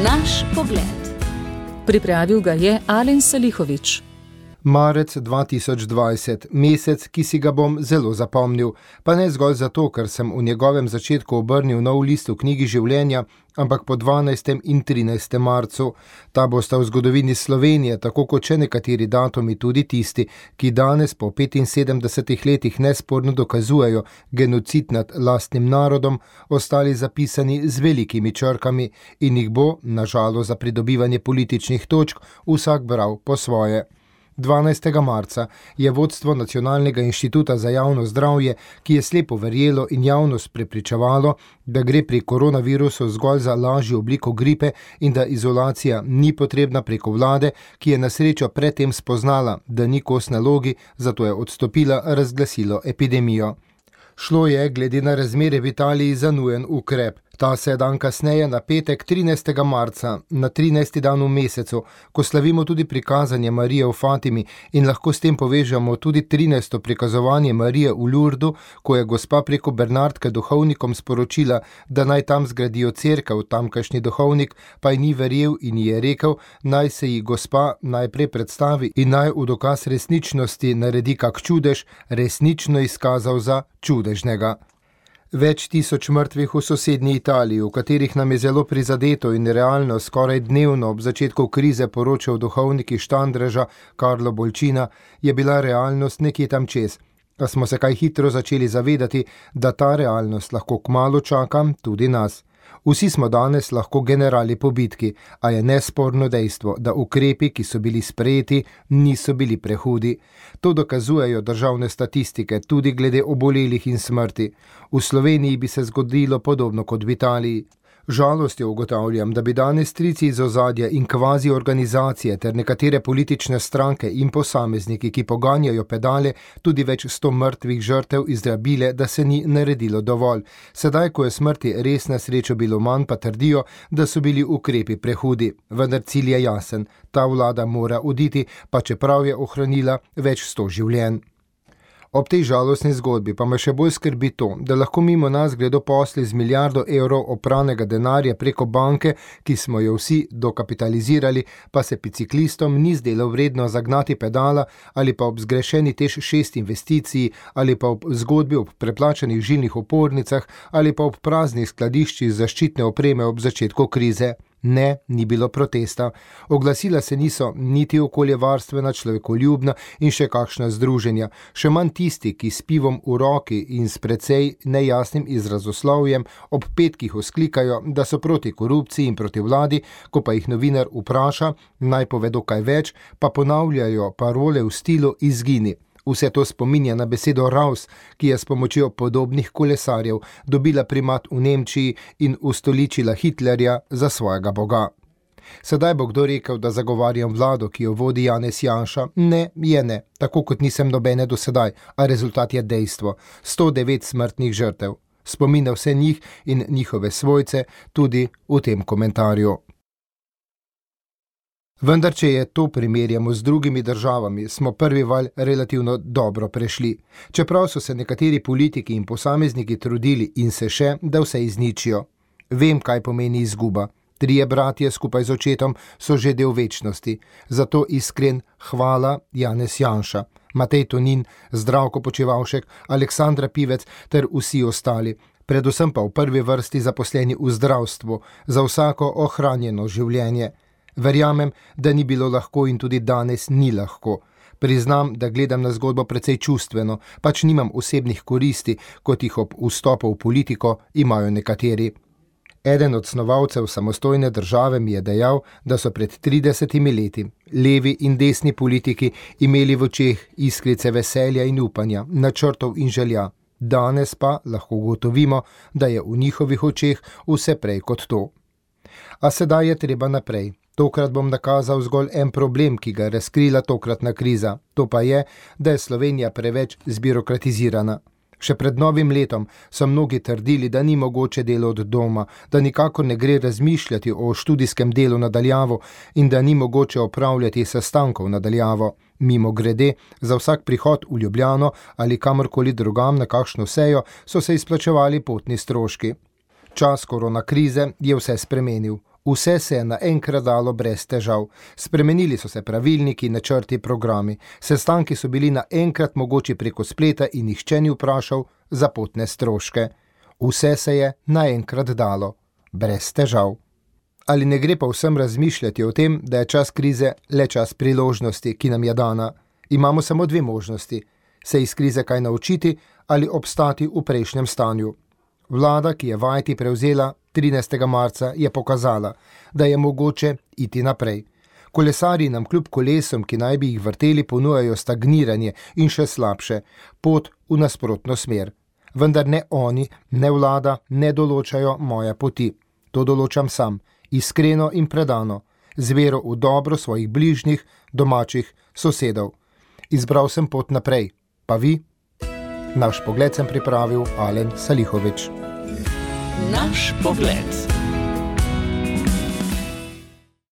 Naš pogled. Pripravil ga je Alen Salihović. Marec 2020, mesec, ki si ga bom zelo zapomnil, pa ne zgolj zato, ker sem v njegovem začetku obrnil nov list v knjigi življenja, ampak po 12. in 13. marcu. Ta bosta v zgodovini Slovenije, tako kot še nekateri datumi, tudi tisti, ki danes po 75 letih nesporno dokazujejo genocid nad lastnim narodom, ostali zapisani z velikimi črkami in jih bo, na žalost za pridobivanje političnih točk, vsak bral po svoje. 12. marca je vodstvo Nacionalnega inštituta za javno zdravje, ki je slepo verjelo in javnost prepričevalo, da gre pri koronavirusu zgolj za lažjo obliko gripe in da izolacija ni potrebna preko vlade, ki je na srečo predtem spoznala, da ni kos nalogi, zato je odstopila, razglasilo epidemijo. Šlo je, glede na razmere v Italiji, za nujen ukrep. Ta se je dan kasneje, na petek 13. marca, na 13. dan v mesecu, ko slavimo tudi prikazanje Marije v Fatimi in lahko s tem povežemo tudi 13. prikazovanje Marije v Lurdu, ko je gospa preko Bernardke duhovnikom sporočila, da naj tam zgradijo cerkev, tamkajšnji duhovnik pa ji ni verjel in ji je rekel, naj se ji gospa najprej predstavi in naj v dokaz resničnosti naredi kak čudež, resnično izkazal za čudežnega. Več tisoč mrtvih v sosednji Italiji, v katerih nam je zelo prizadeto in realno skoraj dnevno ob začetku krize poročal duhovnik iz Štandreža Karlo Bolčina, je bila realnost nekje tam čez. A smo se kaj hitro začeli zavedati, da ta realnost lahko kmalu čaka tudi nas. Vsi smo danes lahko generali po bitki, a je nesporno dejstvo, da ukrepi, ki so bili sprejeti, niso bili prehudi. To dokazujejo državne statistike, tudi glede obolelih in smrti. V Sloveniji bi se zgodilo podobno kot v Italiji. Žalostjo ugotavljam, da bi danes strici iz ozadja in kvazi organizacije ter nekatere politične stranke in posamezniki, ki poganjajo pedale, tudi več 100 mrtvih žrtev izrabile, da se ni naredilo dovolj. Sedaj, ko je smrti res na srečo bilo manj, pa trdijo, da so bili ukrepi prehudi. Vendar cilj je jasen, ta vlada mora oditi, pa čeprav je ohranila več 100 življenj. Ob tej žalostni zgodbi pa me še bolj skrbi to, da lahko mimo nas gredo posli z milijardo evrov opranega denarja preko banke, ki smo jo vsi dokapitalizirali, pa se biciklistom ni zdelo vredno zagnati pedala ali pa ob zgrešeni TEŠ 6 investiciji ali pa ob zgodbi ob preplačanih žilnih opornicah ali pa ob praznih skladiščih zaščitne opreme ob začetku krize. Ne, ni bilo protesta. Oglasila se niso niti okoljevarstvena, človekoljubna in še kakšna združenja, še manj tisti, ki s pivom v roki in s precej nejasnim izrazoslovjem ob petkih vzklikajo, da so proti korupciji in proti vladi, ko pa jih novinar vpraša, naj povedo kaj več, pa ponavljajo parole v stilu izgini. Vse to spominja na besedo Raus, ki je s pomočjo podobnih kolesarjev dobila primat v Nemčiji in ustoličila Hitlerja za svojega boga. Sedaj bo kdo rekel, da zagovarjam vlado, ki jo vodi Janez Janša? Ne, je ne, tako kot nisem nobene do sedaj, a rezultat je dejstvo. 109 smrtnih žrtev. Spomina vse njih in njihove svojce tudi v tem komentarju. Vendar, če je to primerjamo z drugimi državami, smo prvi val relativno dobro prešli. Čeprav so se nekateri politiki in posamezniki trudili in se še, da vse izničijo. Vem, kaj pomeni izguba. 3 bratje skupaj z očetom so že del večnosti. Zato iskren hvala Janez Janša, Matej Tonin, Zdravko Počivavšek, Aleksandra Pivec ter vsi ostali. Predvsem pa v prvi vrsti zaposleni v zdravstvu, za vsako ohranjeno življenje. Verjamem, da ni bilo lahko in tudi danes ni lahko. Priznam, da gledam na zgodbo precej čustveno, pač nimam osebnih koristi, kot jih ob vstopu v politiko imajo nekateri. Eden od snovalcev samostojne države mi je dejal, da so pred 30 leti levi in desni politiki imeli v očeh iskrice veselja in upanja, načrtov in želja. Danes pa lahko ugotovimo, da je v njihovih očeh vse prej kot to. A sedaj je treba naprej. Tokrat bom nakazal zgolj en problem, ki ga je razkrila tokratna kriza. To pa je, da je Slovenija preveč zbirokratizirana. Še pred novim letom so mnogi trdili, da ni mogoče delo od doma, da nikakor ne gre razmišljati o študijskem delu nadaljavo in da ni mogoče opravljati sestankov nadaljavo. Mimogrede, za vsak prihod v Ljubljano ali kamorkoli drugam na kakšno sejo so se izplačevali potni stroški. Čas koronakrize je vse spremenil. Vse se je naenkrat dalo brez težav. Spremenili so se pravilniki, načrti, programi. Sestanki so bili naenkrat mogoči preko spleta in nihče ni vprašal za potne stroške. Vse se je naenkrat dalo, brez težav. Ali ne gre pa vsem razmišljati o tem, da je čas krize le čas priložnosti, ki nam je dana? Imamo samo dve možnosti. Se iz krize kaj naučiti ali obstati v prejšnjem stanju. Vlada, ki je vajeti prevzela 13. marca, je pokazala, da je mogoče iti naprej. Kolesarji nam kljub kolesom, ki naj bi jih vrteli, ponujajo stagniranje in še slabše, pot v nasprotno smer. Vendar ne oni, ne vlada ne določajo moje poti. To določam sam, iskreno in predano, z vero v dobro svojih bližnjih, domačih, sosedov. Izbral sem pot naprej, pa vi? Naš pogled sem pripravil Alen Salihović. Naš pogled.